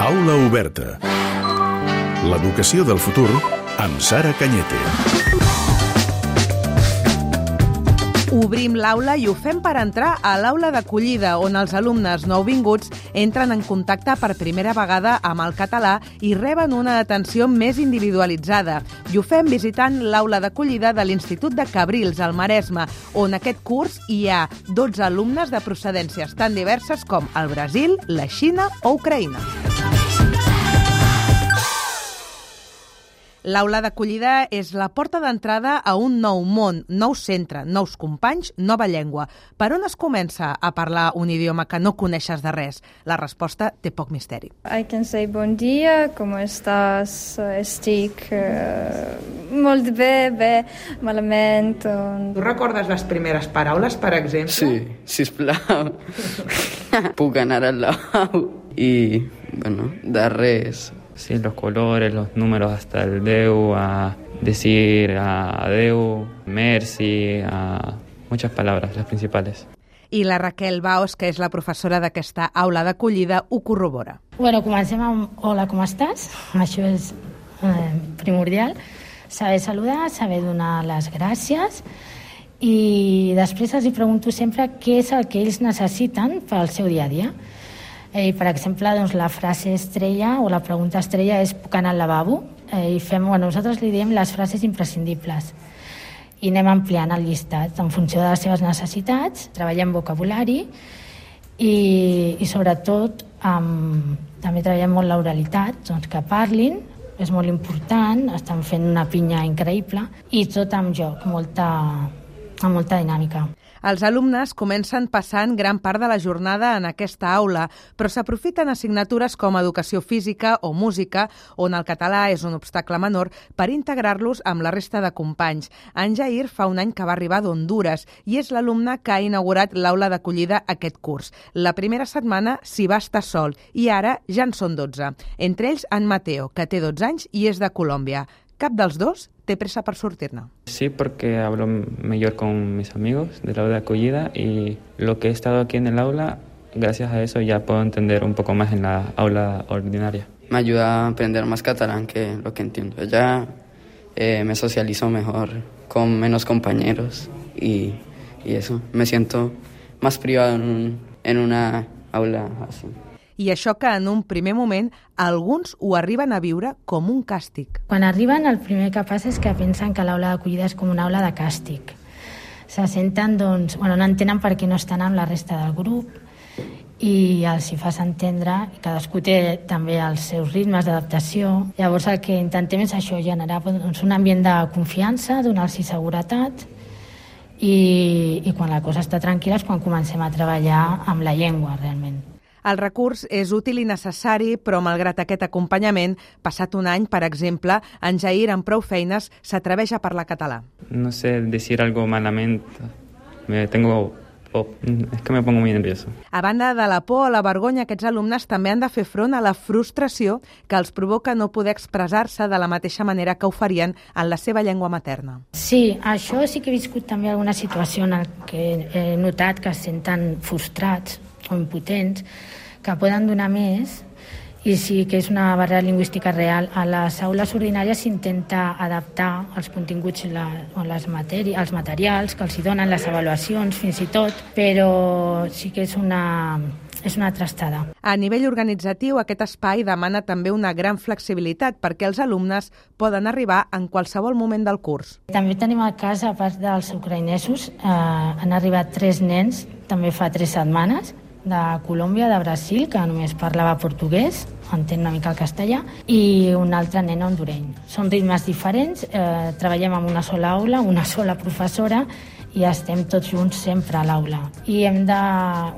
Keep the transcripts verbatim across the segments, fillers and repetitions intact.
Aula oberta. L'educació del futur amb Sara Cañete. Obrim l'aula i ho fem per entrar a l'aula d'acollida, on els alumnes nouvinguts entren en contacte per primera vegada amb el català i reben una atenció més individualitzada. I ho fem visitant l'aula d'acollida de l'Institut de Cabrils, al Maresme, on aquest curs hi ha dotze alumnes de procedències tan diverses com el Brasil, la Xina o Ucraïna. L'aula d'acollida és la porta d'entrada a un nou món, nou centre, nous companys, nova llengua. Per on es comença a parlar un idioma que no coneixes de res? La resposta té poc misteri. I can say bon dia, com estàs, estic uh, molt bé, bé, malament. On... Tu recordes les primeres paraules, per exemple? Sí, sisplau. Puc anar al lavabo. I, bueno, de res. Sí, los colores, los números hasta el deu, a decir a adeu, merci, a muchas palabras, las principales. I la Raquel Baos, que és la professora d'aquesta aula d'acollida, ho corrobora. Bueno, comencem amb hola, com estàs? Això és eh, primordial. Saber saludar, saber donar les gràcies i després els pregunto sempre què és el que ells necessiten pel seu dia a dia. Eh, per exemple, doncs, la frase estrella o la pregunta estrella és puc anar al lavabo? Eh, i fem, bueno, nosaltres li diem les frases imprescindibles i anem ampliant el llistat en funció de les seves necessitats, treballem vocabulari i, i sobretot amb, també treballem molt l'oralitat, doncs que parlin, és molt important, estan fent una pinya increïble i tot amb joc, molta, amb molta dinàmica. Els alumnes comencen passant gran part de la jornada en aquesta aula, però s'aprofiten assignatures com educació física o música, on el català és un obstacle menor, per integrar-los amb la resta de companys. En Jair fa un any que va arribar d'Honduras i és l'alumne que ha inaugurat l'aula d'acollida aquest curs. La primera setmana s'hi va estar sol i ara ja en són dotze. Entre ells, en Mateo, que té dotze anys i és de Colòmbia. Cap dels dos té pressa per sortir-ne. Sí, porque hablo mejor con mis amigos del aula de acogida y lo que he estado aquí en el aula, gracias a eso ya puedo entender un poco más en la aula ordinaria. Me ayuda a aprender más catalán que lo que entiendo. Ya eh, me socializo mejor con menos compañeros y, y eso. Me siento más privado en, un, en una aula así. I això que en un primer moment alguns ho arriben a viure com un càstig. Quan arriben, el primer que passa és que pensen que l'aula d'acollida és com una aula de càstig. Se senten, doncs, bueno, no entenen per què no estan amb la resta del grup i els hi fas entendre, i cadascú té també els seus ritmes d'adaptació. Llavors el que intentem és això, generar doncs, un ambient de confiança, donar-los seguretat i, i quan la cosa està tranquil·la és quan comencem a treballar amb la llengua, realment. El recurs és útil i necessari, però malgrat aquest acompanyament, passat un any, per exemple, en Jair, amb prou feines, s'atreveix a parlar català. No sé decir algo malament, me tengo... Oh, és que me pongo muy nervioso. A banda de la por o la vergonya, aquests alumnes també han de fer front a la frustració que els provoca no poder expressar-se de la mateixa manera que ho farien en la seva llengua materna. Sí, això sí que he viscut també alguna situació en què he notat que es senten frustrats o impotents, que poden donar més, i sí que és una barrera lingüística real. A les aules ordinàries s'intenta adaptar els continguts la, o les matèries, els materials que els hi donen, les avaluacions fins i tot, però sí que és una, és una trastada. A nivell organitzatiu, aquest espai demana també una gran flexibilitat perquè els alumnes poden arribar en qualsevol moment del curs. També tenim el cas, a part dels ucraïnesos, eh, han arribat tres nens, també fa tres setmanes, de Colòmbia, de Brasil, que només parlava portuguès, entén una mica el castellà, i un altre nen hondureny. Són ritmes diferents, eh, treballem en una sola aula, una sola professora, i estem tots junts sempre a l'aula. I hem de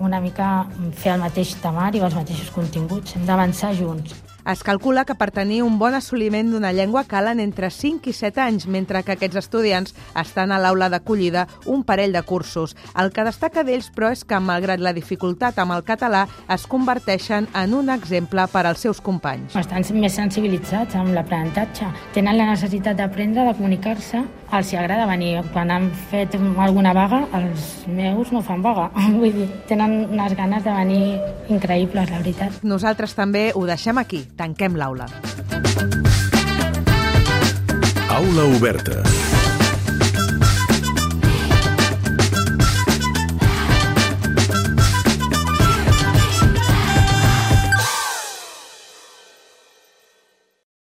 una mica fer el mateix temari o els mateixos continguts, hem d'avançar junts. Es calcula que per tenir un bon assoliment d'una llengua calen entre cinc i set anys, mentre que aquests estudiants estan a l'aula d'acollida un parell de cursos. El que destaca d'ells, però, és que, malgrat la dificultat amb el català, es converteixen en un exemple per als seus companys. Estan més sensibilitzats amb l'aprenentatge. Tenen la necessitat d'aprendre, de comunicar-se els hi agrada venir. Quan han fet alguna vaga, els meus no fan vaga. Vull dir, tenen unes ganes de venir increïbles, la veritat. Nosaltres també ho deixem aquí. Tanquem l'aula. Aula oberta.